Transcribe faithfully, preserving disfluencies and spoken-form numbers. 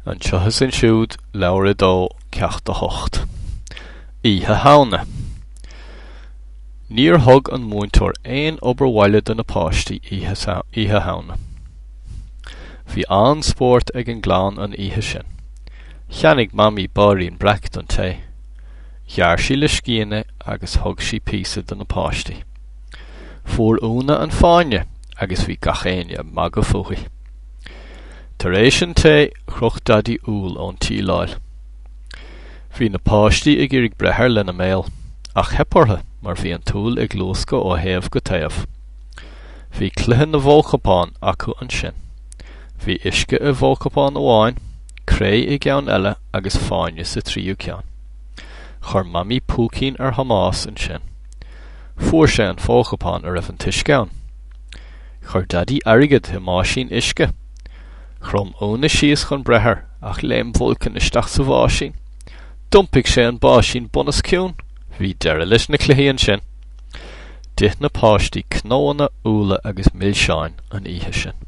Anseo is ansiúd, leabhar a dó, ceacht a hocht. Oíche Shamhna. Níor thug an múinteoir aon obair bhaile do na páistí oíche Shamhna. Bhí an-spórt ag an gclann an oíche sin. Cheannaigh Mamaí bairín breac don tae. Ghearr sí le scian é agus thug sí píosa do na páistí. Fuair Úna an fáinne agus bhí gach éinne ag magadh fúithi. Tar éis an tae, chroch Daidí úll ón tsíleáil. Bhí na páistí ag iarraidh breith air lena mbéal, ach theip orthu mar bhí an t-úll ag luascadh ó thaobh go taobh. Bhí cluiche na bhfo-chupán acu ansin. Bhí uisce i bhfo-chupán amháin, cré i gceann eile agus fáinne sa tríú ceann. Chuir Mamaí púicín ar Thomás ansin. Fuair sé an fo-chupán a raibh an t-uisce ann. Chuir Daidí airgead i mbáisín uisce. Chrom Úna síos chun breith air, ach léim Vulcan isteach sa bháisín. D'iompaigh sé an báisín bunoscionn. Bhí deireadh leis na cluichí ansin. D'ith na páistí cnónna, úlla agus milseáin an oíche sin.